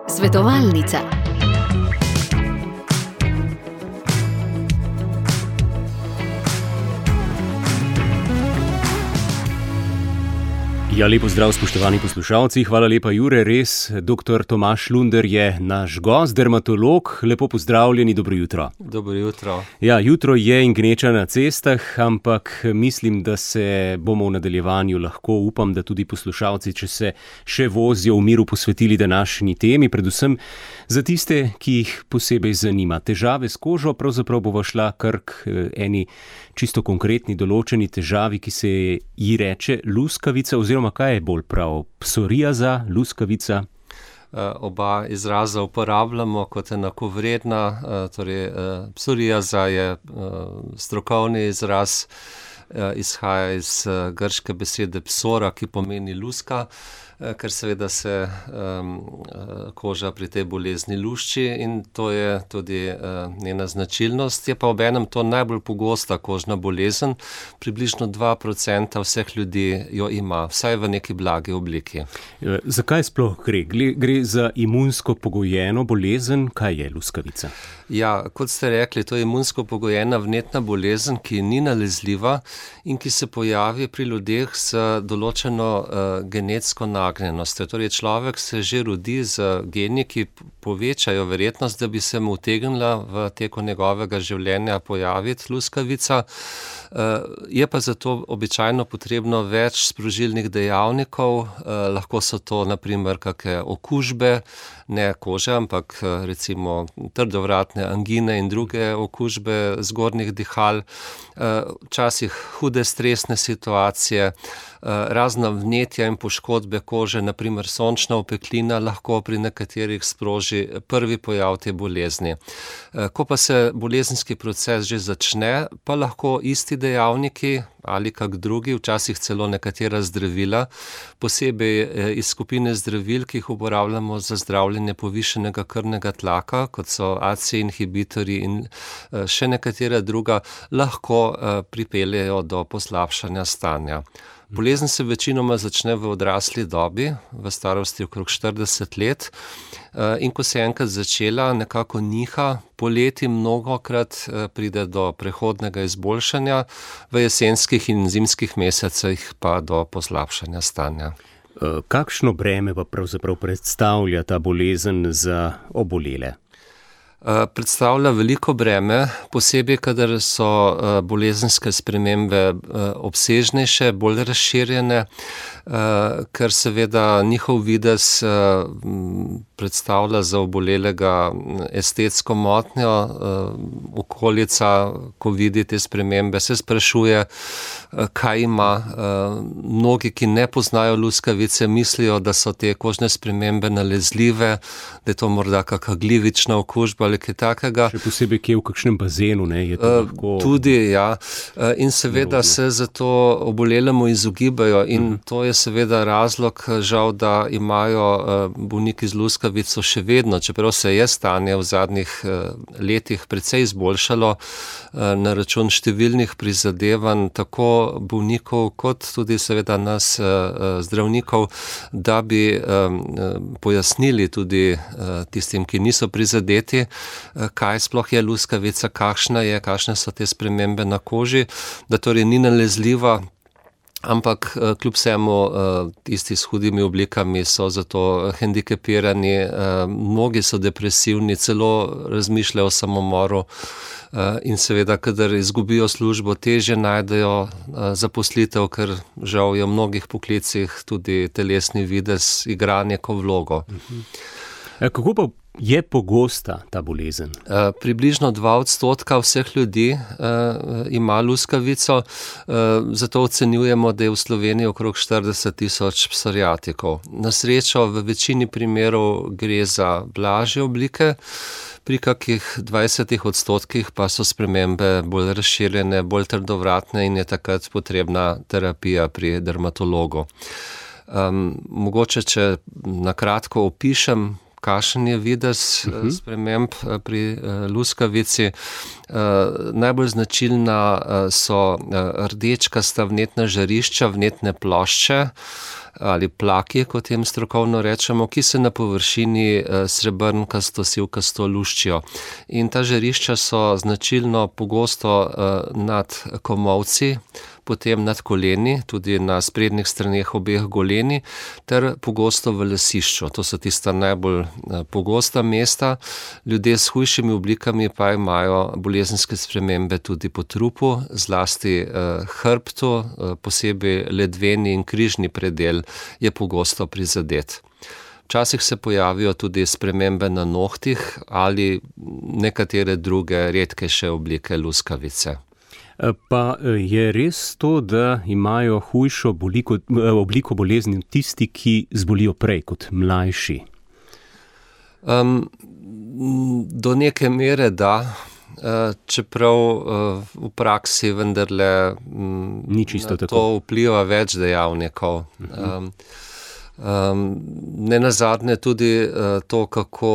Svetovalnica. Ja, lepo zdrav, spoštovani poslušalci. Hvala lepa, Jure. Res, dr. Tomaž Lunder je naš gost, dermatolog. Lepo pozdravljeni, dobro jutro. Dobro jutro. Ja, jutro je in gneča na cestah, ampak mislim, da se bomo v nadaljevanju lahko, upam, da tudi poslušalci, če se še vozijo, v miru posvetili današnji temi, predvsem za tiste, ki jih posebej zanima. Težave s kožo, pravzaprav bova šla kar k eni čisto konkretni določeni težavi, ki se ji reče luskavica, oziroma kaj je bolj prav, psoriaza, luskavica? Oba izraza uporabljamo kot enakovredna, torej psoriaza je strokovni izraz, izhaja iz grške besede psora, ki pomeni luska, ker seveda se koža pri tej bolezni lušči in to je tudi njena značilnost. Je pa obenem to najbolj pogosta kožna bolezen, približno 2% vseh ljudi jo ima, vsaj v neki blagi obliki. Zakaj sploh gre? Gre za imunsko pogojeno bolezen? Kaj je luskavica? Ja, kot ste rekli, to je imunsko pogojena vnetna bolezen, ki ni nalezljiva in ki se pojavi pri ljudeh z določeno genetsko nagnjenostjo. Torej, človek se že rodi z geni, ki povečajo verjetnost, da bi se mu utegnila v teku njegovega življenja pojaviti luskavica. Je pa zato običajno potrebno več sprožilnih dejavnikov, lahko so to naprimer kakšne okužbe, ne kože, ampak recimo trdovratne angine in druge okužbe zgornjih dihal, včasih hude stresne situacije, razna vnetja in poškodbe kože, naprimer sončna opeklina lahko pri nekaterih sproži prvi pojav te bolezni. Ko pa se bolezenski proces že začne, pa lahko isti dejavniki ali kak drugi, včasih celo nekatera zdravila, posebej iz skupine zdravil, ki jih uporabljamo za zdravljenje povišenega krvnega tlaka, kot so ACE inhibitorji in še nekatera druga, lahko pripeljejo do poslabšanja stanja. Bolezen se večinoma začne v odrasli dobi, v starosti okrog 40 let, in ko se je enkrat začela, nekako niha, poleti mnogokrat pride do prehodnega izboljšanja, v jesenskih in zimskih mesecih pa do poslabšanja stanja. Kakšno breme pa pravzaprav predstavlja ta bolezen za obolele? Predstavlja veliko breme, posebej, kadar so bolezenske spremembe obsežnejše, bolj razširjene, ker seveda njihov videz predstavlja za obolelega estetsko motnjo. Okolica, ko vidi te spremembe, se sprašuje, kaj ima. Mnogi, ki ne poznajo luskavice, mislijo, da so te kožne spremembe nalezljive, da je to morda kakšna glivična okužba ali kaj takega. Še posebej kje v kakšnem bazenu, ne? Je to lahko... Tudi, ja. In seveda se zato obolelemu izogibajo in to je seveda razlog, žal, da imajo bolniki z luskavico še vedno, čeprav se je stanje v zadnjih letih precej izboljšalo na račun številnih prizadevanj, tako bolnikov kot tudi seveda nas zdravnikov, da bi pojasnili tudi tistim, ki niso prizadeti, kaj sploh je luskavica, kakšne so te spremembe na koži, da torej ni nalezljiva, ampak kljub vsemu tisti s hudimi oblikami so zato hendikepirani, mnogi so depresivni, celo razmišljajo o samomoru in seveda, kadar izgubijo službo, težje najdejo zaposlitev, ker žal je v mnogih poklicih tudi telesni videz igra neko vlogo. Kako pa je pogosta ta bolezen? Približno 2% vseh ljudi ima luskavico, zato ocenjujemo, da je v Sloveniji okrog 40,000 psoriatikov. Na srečo v večini primerov gre za blažje oblike, pri kakih 20% pa so spremembe bolj razširjene, bolj trdovratne in je takrat potrebna terapija pri dermatologu. Mogoče, če na kratko opišem, kakšen je videz sprememb pri luskavici. Najbolj značilna so rdečkasta vnetna žarišča, vnetne plošče ali plaki, kot jim strokovno rečemo, ki se na površini srebrnkasto, sivkasto luščijo. In ta žarišča so značilno pogosto nad komolci, potem nad koleni, tudi na sprednjih straneh obeh goleni, ter pogosto v lasišču. To so tista najbolj pogosta mesta. Ljudje s hujšimi oblikami pa imajo bolezenske spremembe tudi po trupu, zlasti hrbtu, posebej ledveni in križni predel je pogosto prizadet. Včasih se pojavijo tudi spremembe na nohtih ali nekatere druge redkejše oblike luskavice. Pa je res to, da imajo hujšo obliko bolezni tisti, ki zbolijo prej kot mlajši? Do neke mere da, čeprav v praksi vendarle ni čisto tako. To vpliva več dejavnikov. Nenazadnje tudi to, kako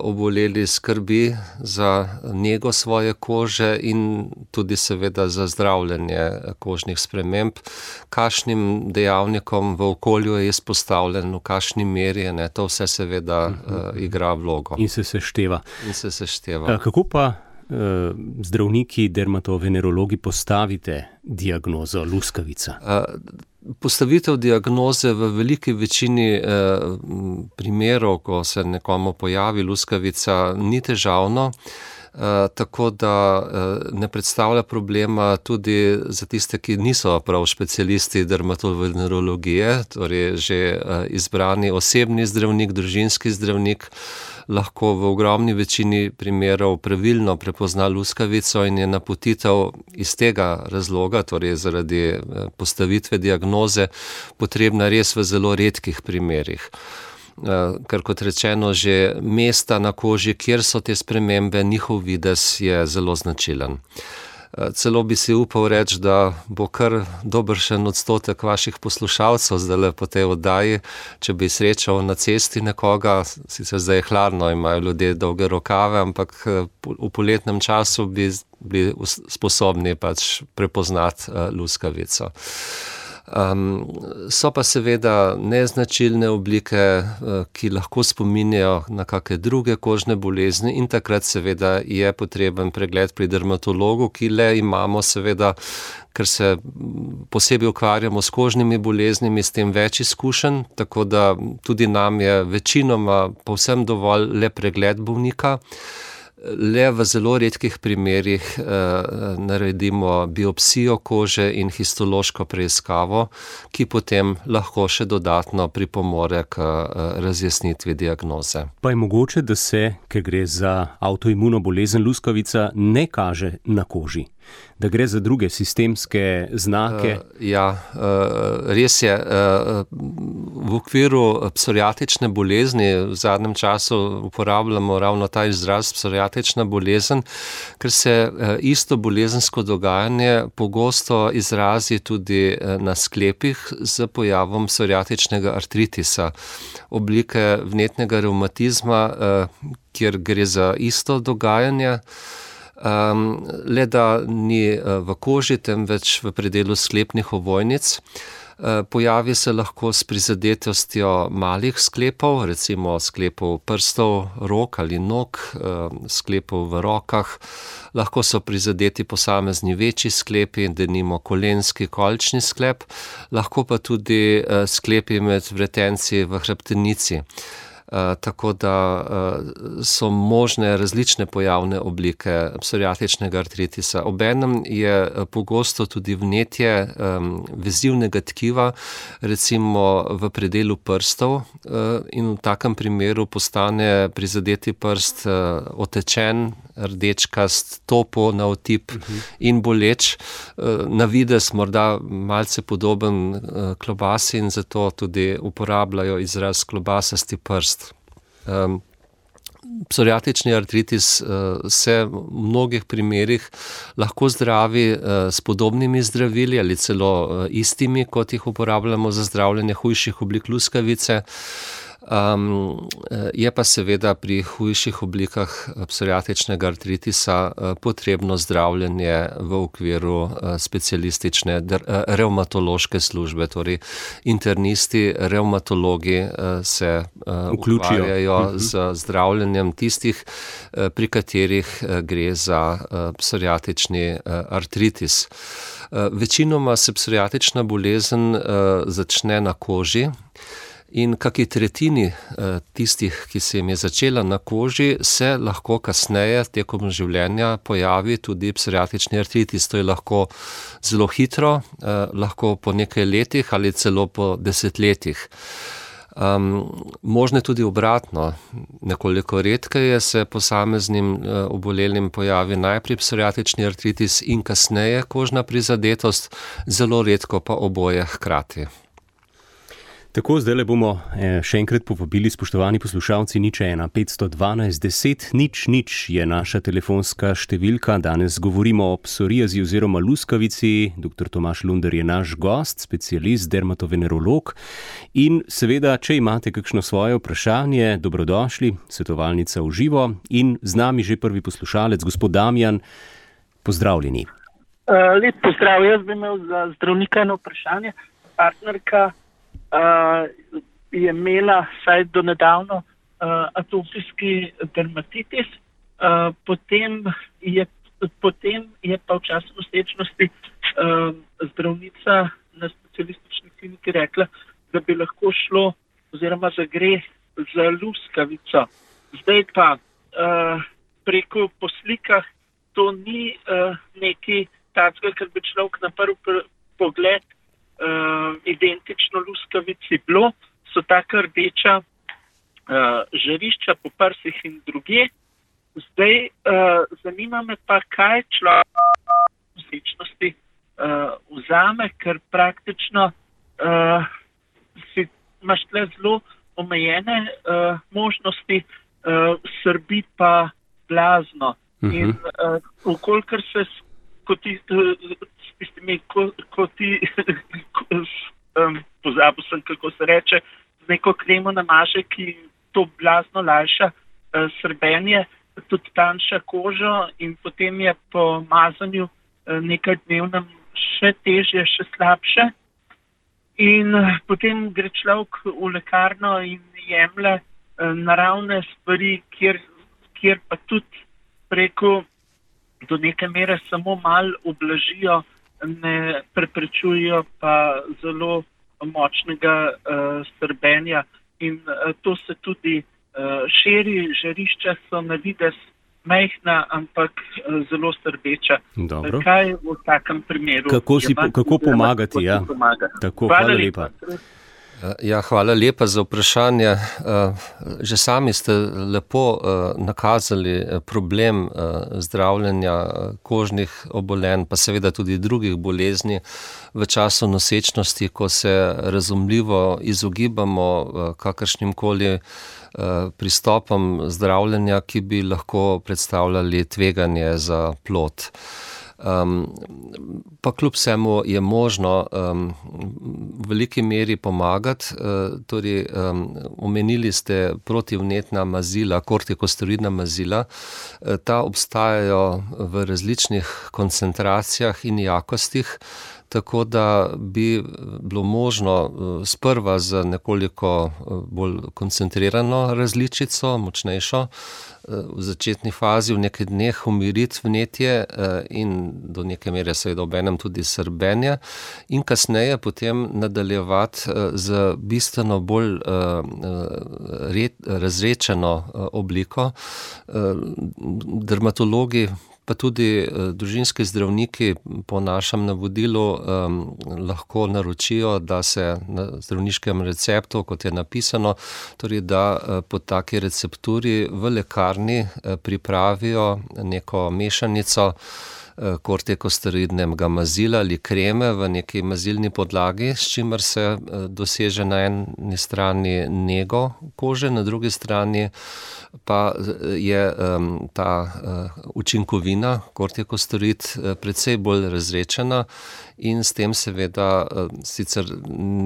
oboleli skrbi za nego svoje kože in tudi seveda za zdravljenje kožnih sprememb, kakšnim dejavnikom v okolju je izpostavljen, v kakšni meri, to vse seveda igra vlogo. In se sešteva. sešteva. Kako pa zdravniki, dermatovenerologi postavite diagnozo luskavica? Postavitev diagnoze v veliki večini primerov, ko se nekomu pojavi luskavica, ni težavno, tako da ne predstavlja problema tudi za tiste, ki niso prav specialisti dermatovenerologije, torej že izbrani osebni zdravnik, družinski zdravnik, lahko v ogromni večini primerov pravilno prepozna luskavico in je napotitev iz tega razloga, torej zaradi postavitve diagnoze, potrebna res v zelo redkih primerih. Ker kot rečeno, že mesta na koži, kjer so te spremembe, njihov videz je zelo značilen. Celo bi si upal reči, da bo kar dobršen odstotek vaših poslušalcev zdajle po tej oddaji, če bi srečal na cesti nekoga, sicer zdaj je hladno, imajo ljudje dolge rokave, ampak v poletnem času bi bili sposobni pač prepoznati luskavico. So pa seveda neznačilne oblike, ki lahko spominjajo na kakšne druge kožne bolezni in takrat seveda je potreben pregled pri dermatologu, ki le imamo seveda, ker se posebej ukvarjamo s kožnimi boleznimi, s tem več izkušenj, tako da tudi nam je večinoma povsem dovolj le pregled bolnika. Le v zelo redkih primerih naredimo biopsijo kože in histološko preiskavo, ki potem lahko še dodatno pripomore k razjasnitvi diagnoze. Pa je mogoče, da se, ker gre za avtoimuno bolezen luskavica, ne kaže na koži? Da gre za druge sistemske znake? Res je. V okviru psoriatične bolezni v zadnjem času uporabljamo ravno ta izraz psoriatična bolezen, ker se isto bolezensko dogajanje pogosto izrazi tudi na sklepih z pojavom psoriatičnega artritisa, oblike vnetnega revmatizma, kjer gre za isto dogajanje. Le da ni v koži, temveč v predelu sklepnih ovojnic. Pojavi se lahko s prizadetostjo malih sklepov, recimo sklepov prstov, rok ali nog, sklepov v rokah. Lahko so prizadeti posamezni večji sklepi, denimo kolenski, kolčni sklep, lahko pa tudi sklepi med vretenci v hrbtenici. Tako da so možne različne pojavne oblike psoriatičnega artritisa. Obenem je pogosto tudi vnetje vezivnega tkiva, recimo v predelu prstov, in v takem primeru postane prizadeti prst otečen, rdečkast, topo na otip in boleč. Na videz morda malce podoben klobasi in zato tudi uporabljajo izraz klobasasti prst. Psoriatični artritis se v mnogih primerih lahko zdravi s podobnimi zdravili ali celo istimi, kot jih uporabljamo za zdravljenje hujših oblik luskavice. Je pa seveda pri hujših oblikah psoriatičnega artritisa potrebno zdravljenje v okviru specialistične revmatološke službe, torej internisti, revmatologi se ukvarjajo z zdravljenjem tistih, pri katerih gre za psoriatični artritis. Večinoma se psoriatična bolezen začne na koži in kaki tretjini tistih, ki se jim je začela na koži, se lahko kasneje tekom življenja pojavi tudi psoriatični artritis. To je lahko zelo hitro, lahko po nekaj letih ali celo po desetletjih. Možno tudi obratno, nekoliko redkeje se posameznim obolelim pojavi najprej psoriatični artritis in kasneje kožna prizadetost, zelo redko pa oboje hkrati. Tako, zdaj le bomo še enkrat povabili, spoštovani poslušalci, 01 512 10 00 je naša telefonska številka. Danes govorimo o psoriazi oziroma luskavici. Dr. Tomaž Lunder je naš gost, specialist, dermatovenerolog. In seveda, če imate kakšno svoje vprašanje, dobrodošli, svetovalnica v živo. In z nami že prvi poslušalec, gospod Damjan, pozdravljeni. Lep pozdrav, jaz bi imel za zdravnika eno vprašanje. Partnerka je imela vsaj do nedavno atopijski dermatitis, potem je pa v času nosečnosti zdravnica na specialistični kliniki rekla, da bi lahko šlo oziroma da gre za luskavico. Zdaj pa preko po slikah to ni nekaj takega, kar bi človek na prvi pogled identično luskavici bilo, so taka rdeča žarišča po prsih in drugje. Zdaj zanima me pa, kaj človek v nosečnosti vzame, ker praktično imaš tle zelo omejene možnosti, srbi pa blazno. In ukolikor se pozabil sem, kako se reče, z neko kremo namaže, ki to blazno lajša srbenje, tudi tanjša kožo in potem je po mazanju nekaj dnevnem še težje, še slabše. In potem gre človek v lekarno in jemlje naravne stvari, kjer pa tudi preko do neke mere samo malo ublažijo, ne preprečujejo pa zelo močnega srbenja. In to se tudi širi, žarišča so na videz majhna, ampak zelo srbeča. Dobro. Kaj v takem primeru? Kako pomagati? Ja. Tako, hvala lepa. Ja, hvala lepa za vprašanje. Že sami ste lepo nakazali problem zdravljenja kožnih obolenj, pa seveda tudi drugih bolezni v času nosečnosti, ko se razumljivo izogibamo kakršnimkoli pristopom zdravljenja, ki bi lahko predstavljali tveganje za plod. Pa kljub vsemu je možno v veliki meri pomagati. Torej, omenili ste protivnetna mazila, kortikosteroidna mazila. Ta obstajajo v različnih koncentracijah in jakostih, tako da bi bilo možno sprva z nekoliko bolj koncentrirano različico, močnejšo, v začetni fazi v nekaj dneh umiriti vnetje in do neke mere seveda obenem tudi srbenje in kasneje potem nadaljevati z bistveno bolj razredčeno obliko. Dermatologi pa tudi družinski zdravniki po našem navodilu lahko naročijo, da se na zdravniškem receptu, kot je napisano, torej da po taki recepturi v lekarni pripravijo neko mešanico kortikosteroidnega mazila ali kreme v neki mazilni podlagi, s čimer se doseže na eni strani nego kože, na drugi strani pa je ta učinkovina, kortikosteroid, precej bolj razredčena in s tem seveda sicer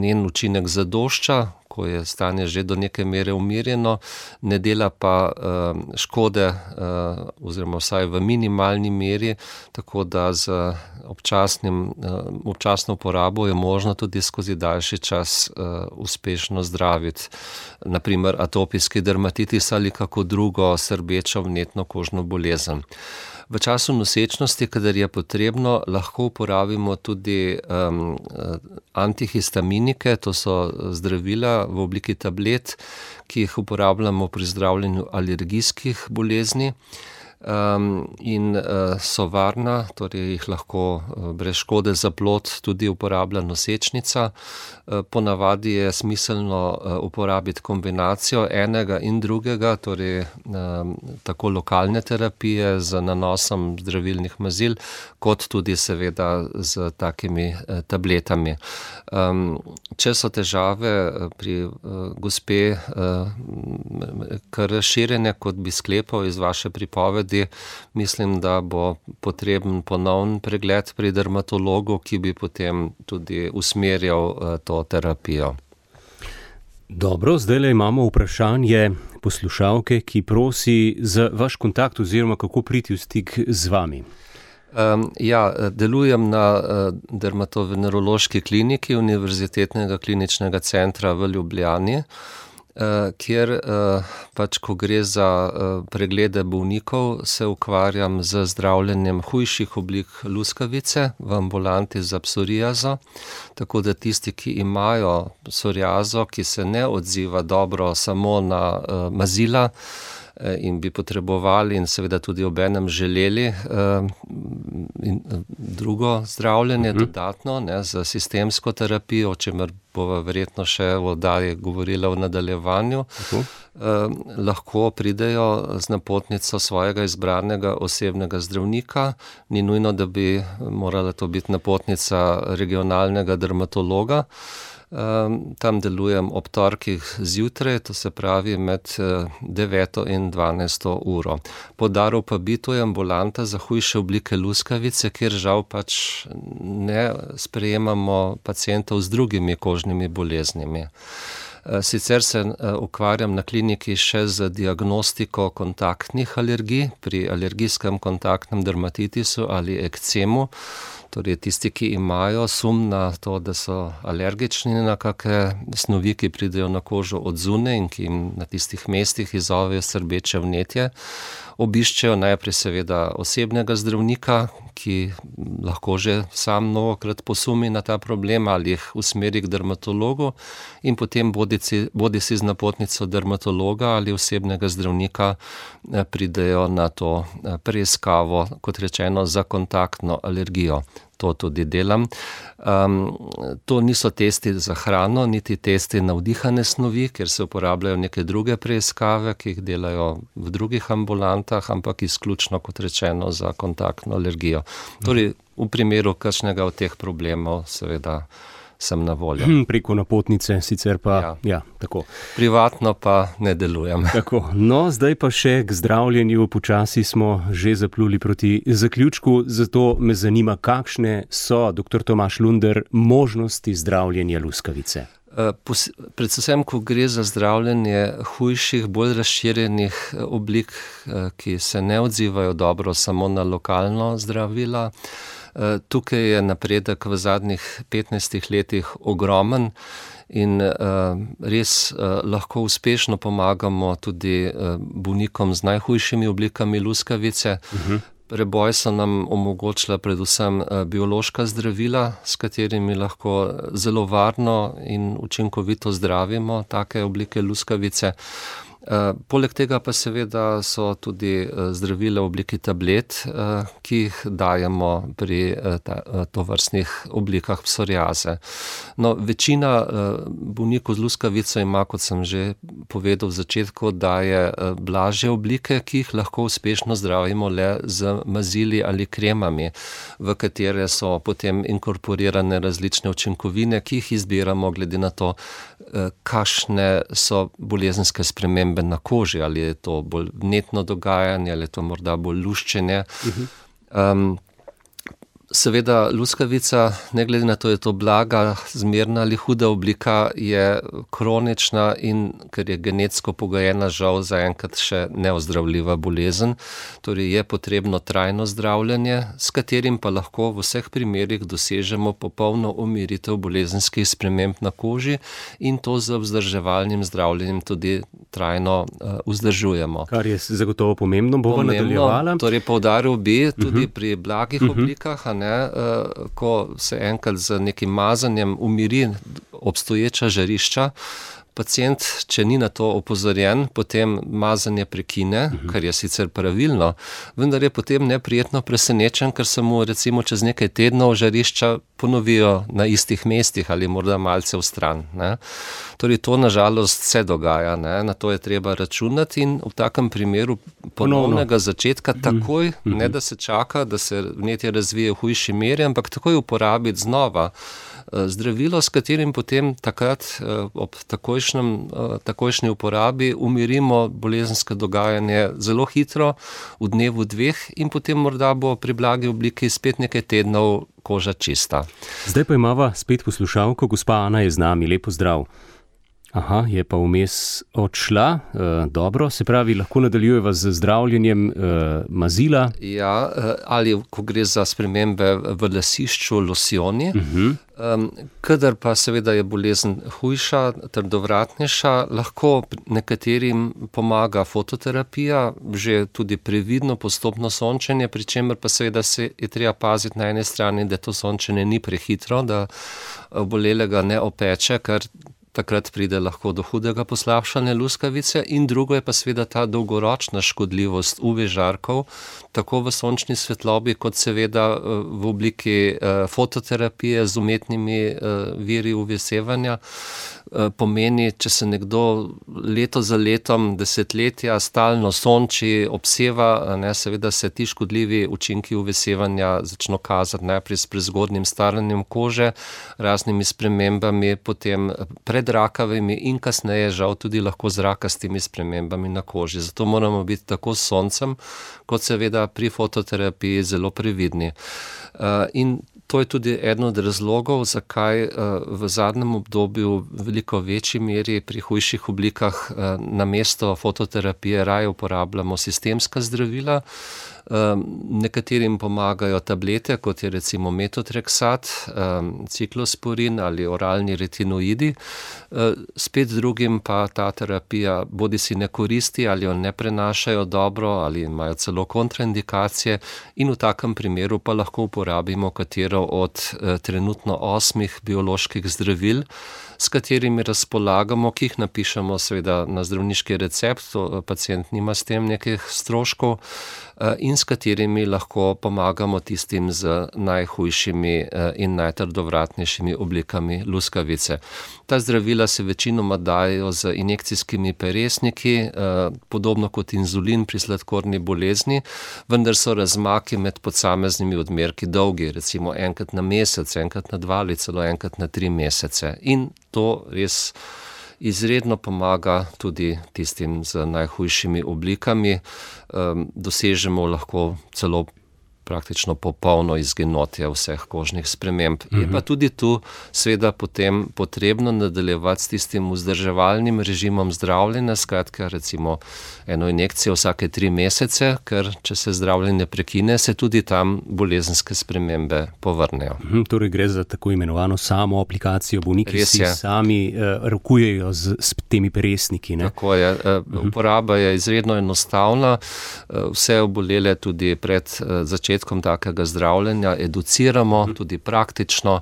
njen učinek zadošča, ko je stanje že do neke mere umirjeno, ne dela pa škode oziroma vsaj v minimalni meri, tako da z občasno uporabo je možno tudi skozi daljši čas uspešno zdraviti, naprimer atopijski dermatitis ali kako drugo srbečo vnetno kožno bolezen. V času nosečnosti, kadar je potrebno, lahko uporabimo tudi antihistaminike, to so zdravila v obliki tablet, ki jih uporabljamo pri zdravljenju alergijskih bolezni. In so varna, torej jih lahko brez škode za plod tudi uporablja nosečnica. Ponavadi je smiselno uporabiti kombinacijo enega in drugega, torej tako lokalne terapije z nanosom zdravilnih mazil, kot tudi seveda z takimi tabletami. Če so težave pri gospe kar razširjene, kot bi sklepal iz vaše pripovedi, mislim, da bo potreben ponovn pregled pri dermatologu, ki bi potem tudi usmerjal to terapijo. Dobro, zdajle imamo vprašanje poslušalke, ki prosi za vaš kontakt oziroma kako priti v stik z vami. Delujem na dermatovenerološki kliniki Univerzitetnega kliničnega centra v Ljubljani, kjer pač, ko gre za preglede bolnikov, se ukvarjam z zdravljenjem hujših oblik luskavice v ambulanti za psoriazo, tako da tisti, ki imajo psoriazo, ki se ne odziva dobro samo na mazila in bi potrebovali in seveda tudi obenem želeli drugo zdravljenje dodatno, z sistemsko terapijo, o čemer bova verjetno še v oddaji govorila v nadaljevanju, lahko pridejo z napotnico svojega izbranega osebnega zdravnika. Ni nujno, da bi morala to biti napotnica regionalnega dermatologa. Tam delujem ob torkih zjutraj, to se pravi med 9 in 12 uro. Poudaril pa bi, to je ambulanta za hujše oblike luskavice, kjer žal pač ne sprejemamo pacientov z drugimi kožnimi boleznimi. Sicer se ukvarjam na kliniki še z diagnostiko kontaktnih alergij pri alergijskem kontaktnem dermatitisu ali ekcemu. Torej tisti, ki imajo sum na to, da so alergični na kakšne snovi, ki pridejo na kožo od zunaj in ki jim na tistih mestih izzovejo srbeče vnetje, obiščejo najprej seveda osebnega zdravnika, ki lahko že sam mnogokrat posumi na ta problem ali jih usmeri k dermatologu in potem bodisi z napotnico dermatologa ali osebnega zdravnika pridejo na to preiskavo, kot rečeno, za kontaktno alergijo. To tudi delam. To niso testi za hrano, niti testi na vdihane snovi, ker se uporabljajo neke druge preiskave, ki jih delajo v drugih ambulantah, ampak izključno, kot rečeno, za kontaktno alergijo. Torej, v primeru kakšnega od teh problemov, seveda, sem na voljo. Preko napotnice, sicer pa, tako. Privatno pa ne delujem. Tako, no, zdaj pa še k zdravljenju, počasi smo že zapluli proti zaključku, zato me zanima, kakšne so, dr. Tomaž Lunder, možnosti zdravljenja luskavice. Predvsem, ko gre za zdravljenje hujših, bolj razširjenih oblik, ki se ne odzivajo dobro samo na lokalno zdravila. Tukaj je napredek v zadnjih 15 letih ogromen in res lahko uspešno pomagamo tudi bolnikom z najhujšimi oblikami luskavice. Preboj so nam omogočila predvsem biološka zdravila, s katerimi lahko zelo varno in učinkovito zdravimo take oblike luskavice. Poleg tega pa seveda so tudi zdravila v obliki tablet, ki jih dajemo pri tovrstnih oblikah psoriaze. No, večina bolnikov z luskavico ima, kot sem že povedal v začetku, da je blažje oblike, ki jih lahko uspešno zdravimo le z mazili ali kremami, v katere so potem inkorporirane različne učinkovine, ki jih izbiramo glede na to, kakšne so bolezenske spremembe na koži, ali je to bolj vnetno dogajanje, ali je to morda bolj luščenje. Seveda luskavica, ne glede na to, je to blaga, zmerna ali huda oblika, je kronična in ker je genetsko pogojena, žal zaenkrat še neozdravljiva bolezen. Torej je potrebno trajno zdravljenje, s katerim pa lahko v vseh primerih dosežemo popolno umiritev bolezenskih sprememb na koži in to z vzdrževalnim zdravljenjem tudi trajno vzdržujemo. Kar je zagotovo pomembno, bova nadaljevala. Torej poudaril bi tudi pri blagih oblikah, ko se enkrat z nekim mazanjem umiri obstoječa žarišča, pacient, če ni na to opozorjen, potem mazanje prekine, kar je sicer pravilno, vendar je potem neprijetno presenečen, ker se mu recimo čez nekaj tednov žarišča ponovijo na istih mestih ali morda malce v stran. Torej to nažalost se dogaja, na to je treba računati in v takem primeru ponovnega začetka takoj, ne da se čaka, da se vnetje razvije v hujši meri, ampak takoj uporabiti znova zdravilo, s katerim potem takrat ob takojšnji uporabi umirimo bolezensko dogajanje zelo hitro, v dnevu dveh in potem morda bo pri blagi obliki spet nekaj tednov koža čista. Zdaj pa imava spet poslušalko, gospa Ana je z nami, lepo zdrav. Aha, je pa vmes odšla, dobro, se pravi, lahko nadaljujeva z zdravljenjem mazila. Ja, ali ko gre za spremembe v lasišču, losjoni, kadar pa seveda je bolezen hujša, trdovratnejša, lahko nekaterim pomaga fototerapija, že tudi previdno postopno sončenje, pri čemer pa seveda se je treba paziti na eni strani, da to sončenje ni prehitro, da obolelega ne opeče, ker takrat pride lahko do hudega poslabšanja luskavice in drugo je pa seveda ta dolgoročna škodljivost UV žarkov, tako v sončni svetlobi, kot seveda v obliki fototerapije z umetnimi viri UV sevanja. Pomeni, če se nekdo leto za letom, desetletja stalno sonči, obseva, seveda se ti škodljivi učinki UV sevanja začno kazati najprej s prezgodnjim staranjem kože, raznimi spremembami, potem predrakavimi in kasneje žal tudi lahko z rakastimi spremembami na koži. Zato moramo biti tako s soncem, kot seveda pri fototerapiji zelo previdni. In to je tudi eden od razlogov, zakaj v zadnjem obdobju v veliko večji meri pri hujših oblikah namesto fototerapije raje uporabljamo sistemska zdravila. Nekaterim pomagajo tablete, kot je recimo metotreksat, ciklosporin ali oralni retinoidi, spet drugim pa ta terapija bodisi ne koristi ali jo ne prenašajo dobro ali imajo celo kontraindikacije in v takem primeru pa lahko uporabimo katero od trenutno 8 bioloških zdravil, s katerimi razpolagamo, ki jih napišemo seveda na zdravniški recept, pacient nima s tem nekih stroškov, in s katerimi lahko pomagamo tistim z najhujšimi in najtrdovratnejšimi oblikami luskavice. Ta zdravila se večinoma dajo z injekcijskimi peresniki, podobno kot inzulin pri sladkorni bolezni, vendar so razmaki med posameznimi odmerki dolgi, recimo enkrat na mesec, enkrat na 2 ali celo enkrat na 3 mesece. In to res izredno pomaga tudi tistim z najhujšimi oblikami. Dosežemo lahko celo praktično popolno izginotje vseh kožnih sprememb. Je pa tudi tu seveda potem potrebno nadaljevati s tistim vzdrževalnim režimom zdravljenja, skratka recimo eno injekcijo vsake 3 mesece, ker če se zdravljenje prekine, se tudi tam bolezenske spremembe povrnejo. Torej gre za tako imenovano samo aplikacijo, bolniki si sami rokujejo s temi peresniki. Ne? Tako je, uporaba je izredno enostavna, vse obolele tudi pred začetkom takega zdravljenja educiramo, tudi praktično,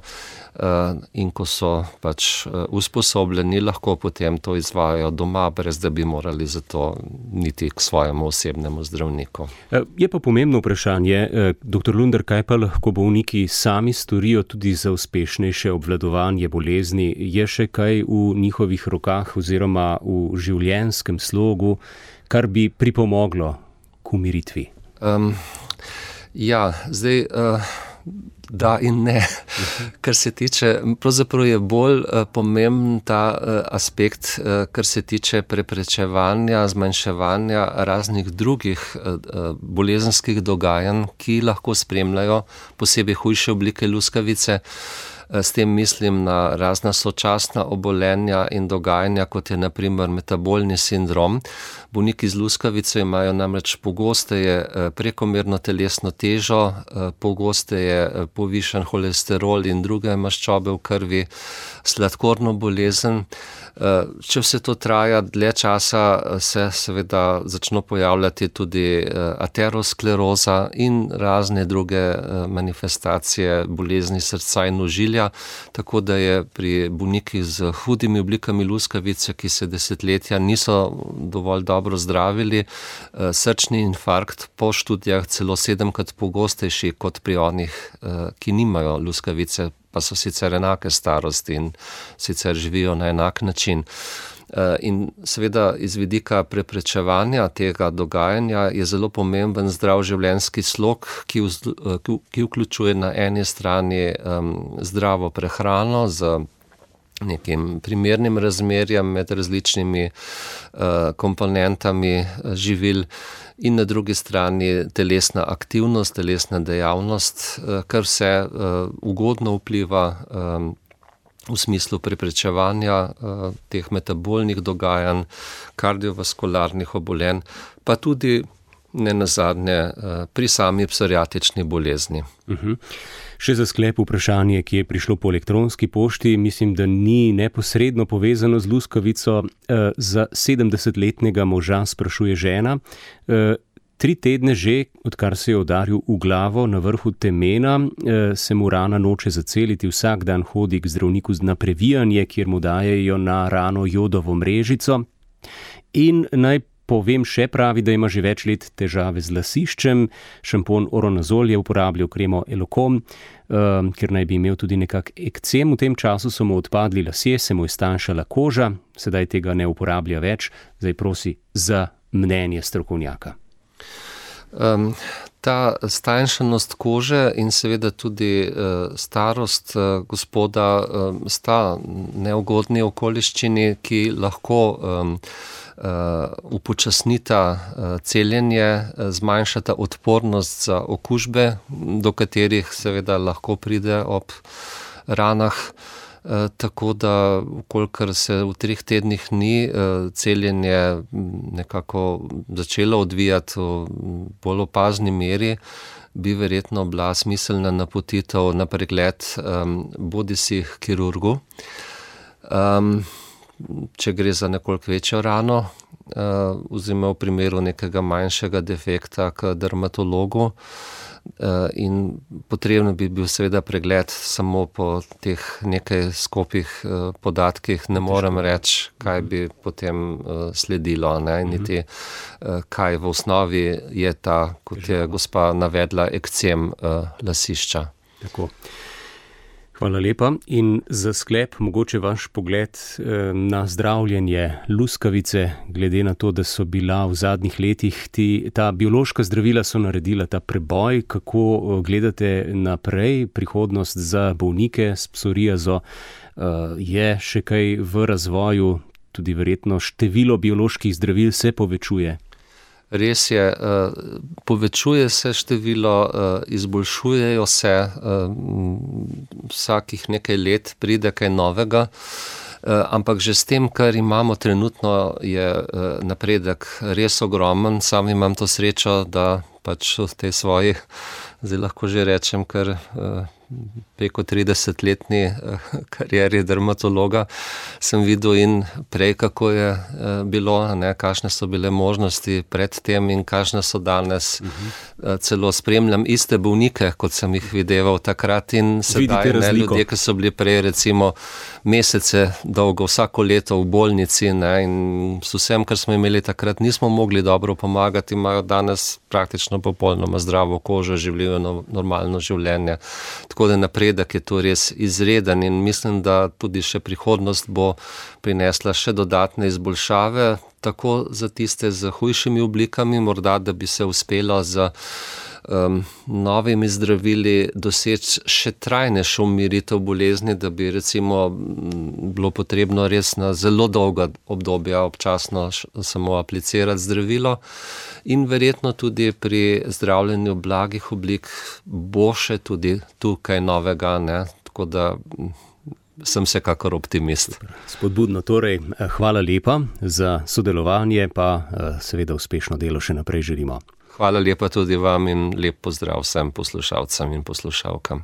in ko so pač usposobljeni, lahko potem to izvajajo doma, brez da bi morali za to niti k svojemu osebnemu zdravniku. Je pa pomembno vprašanje, dr. Lunder, kaj pa lahko bolniki sami storijo tudi za uspešnejše obvladovanje bolezni? Je še kaj v njihovih rokah oziroma v življenjskem slogu, kar bi pripomoglo k umiritvi? Ja, zdaj Da in ne. Kar se tiče, pravzaprav je bolj pomemben ta aspekt, kar se tiče preprečevanja, zmanjševanja raznih drugih bolezenskih dogajanj, ki lahko spremljajo posebej hujše oblike luskavice. S tem mislim na razna sočasna obolenja in dogajanja, kot je na primer metabolni sindrom. Bolniki z luskavico imajo namreč pogosteje prekomerno telesno težo, pogosteje povišan holesterol in druge maščobe v krvi, sladkorno bolezen. Če vse to traja dlje časa, se seveda začno pojavljati tudi ateroskleroza in razne druge manifestacije bolezni srca in ožilja, tako da je pri bolnikih z hudimi oblikami luskavice, ki se desetletja niso dovolj dobro zdravili, srčni infarkt po študijah celo 7-krat pogostejši kot pri onih, ki nimajo luskavice, pa so sicer enake starosti in sicer živijo na enak način. In seveda iz vidika preprečevanja tega dogajanja je zelo pomemben zdrav življenjski slog, ki vključuje na eni strani zdravo prehrano z nekim primernim razmerjem med različnimi komponentami živil in na drugi strani telesna aktivnost, telesna dejavnost, kar vse ugodno vpliva v smislu preprečevanja teh metabolnih dogajanj, kardiovaskularnih obolenj, pa tudi nenazadnje pri sami psoriatični bolezni. Še za sklep vprašanje, ki je prišlo po elektronski pošti, mislim, da ni neposredno povezano z luskavico. Za 70-letnega moža sprašuje žena, 3 tedne že, odkar se je udaril v glavo na vrhu temena, se mu rana noče zaceliti, vsak dan hodi k zdravniku na previjanje, kjer mu dajejo na rano jodovo mrežico. In naj povem še, pravi, da ima že več let težave z lasiščem, šampon Oronazol je uporabljal, kremo Elokom, ker naj bi imel tudi nekak ekcem. V tem času so mu odpadli lasje, se mu je stanjšala koža, sedaj tega ne uporablja več, zdaj prosi za mnenje strokovnjaka. Ta stanjšanost kože in seveda tudi starost gospoda sta neugodni okoliščini, ki lahko upočasnita celjenje, zmanjšata odpornost za okužbe, do katerih seveda lahko pride ob ranah. Tako da, kolikor se v 3 tednih ni celjenje nekako začelo odvijati v bolj opazni meri, bi verjetno bila smiselna napotitev na pregled bodisi k kirurgu, če gre za nekoliko večjo rano, oziroma v primeru nekega manjšega defekta k dermatologu. In potrebno bi bil seveda pregled samo po teh nekaj skopih podatkih, ne morem reči, kaj bi potem sledilo, ne, niti kaj v osnovi je ta, kot je gospa navedla, ekcem lasišča. Tako. Hvala lepa. In za sklep mogoče vaš pogled na zdravljenje luskavice, glede na to, da so bila v zadnjih letih ta biološka zdravila so naredila ta preboj. Kako gledate naprej prihodnost za bolnike s psoriazo? Je še kaj v razvoju, tudi verjetno število bioloških zdravil se povečuje? Res je, povečuje se število, izboljšujejo se, vsakih nekaj let pride kaj novega, ampak že s tem, kar imamo trenutno, je napredek res ogromen. Sam imam to srečo, da pač v tej svoji, zdaj lahko že rečem, kar preko 30-letni karieri dermatologa sem videl in prej, kako je bilo, ne, kakšne so bile možnosti pred tem in kakšne so danes. Celo spremljam iste bolnike, kot sem jih videval takrat in sedaj, ne, ljudje, ki so bili prej recimo mesece dolgo, vsako leto v bolnici, ne, in s vsem, kar smo imeli takrat, nismo mogli dobro pomagati, imajo danes praktično popolnoma zdravo kožo, živijo normalno življenje. Tako da napredek je to res izreden in mislim, da tudi še prihodnost bo prinesla še dodatne izboljšave, tako za tiste z hujšimi oblikami, morda da bi se uspelo z novimi zdravili doseči še trajnejšo umiritev bolezni, da bi recimo bilo potrebno res na zelo dolga obdobja občasno samo aplicirati zdravilo in verjetno tudi pri zdravljenju blagih oblik bo še tudi tukaj novega, ne? Tako da sem vsekakor optimist. Spodbudno torej, hvala lepa za sodelovanje, pa seveda uspešno delo še naprej želimo. Hvala lepa tudi vam in lep pozdrav vsem poslušalcem in poslušalkam.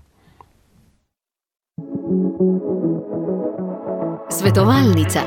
Svetovalnica.